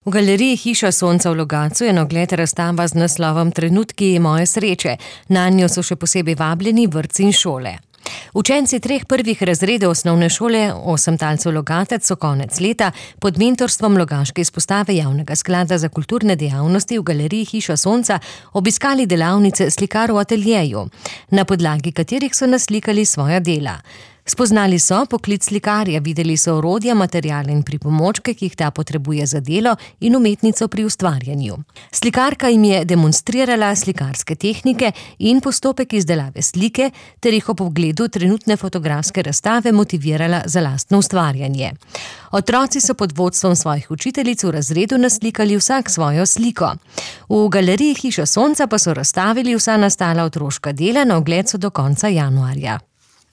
V galeriji Hiša sonca v Logatcu je na ogled razstava z naslovom Trenutki moje sreče. Nanjo so še posebej vabljeni vrtci in šole. Učenci 3 prvih razredov osnovne šole 8 talcev Logatec so konec leta pod mentorstvom logaške izpostave Javnega sklada za kulturne dejavnosti v galeriji Hiša sonca obiskali delavnice slikarov v ateljeju, na podlagi katerih so naslikali svoja dela. Spoznali so poklic slikarja, videli so orodja, materiale in pripomočke, ki jih ta potrebuje za delo, in umetnico pri ustvarjanju. Slikarka jim je demonstrirala slikarske tehnike in postopek izdelave slike ter jih ob ogledu trenutne fotografske razstave motivirala za lastno ustvarjanje. Otroci so pod vodstvom svojih učiteljic v razredu naslikali vsak svojo sliko. V galeriji Hiša sonca pa so razstavili vsa nastala otroška dela, na ogled so do konca januarja.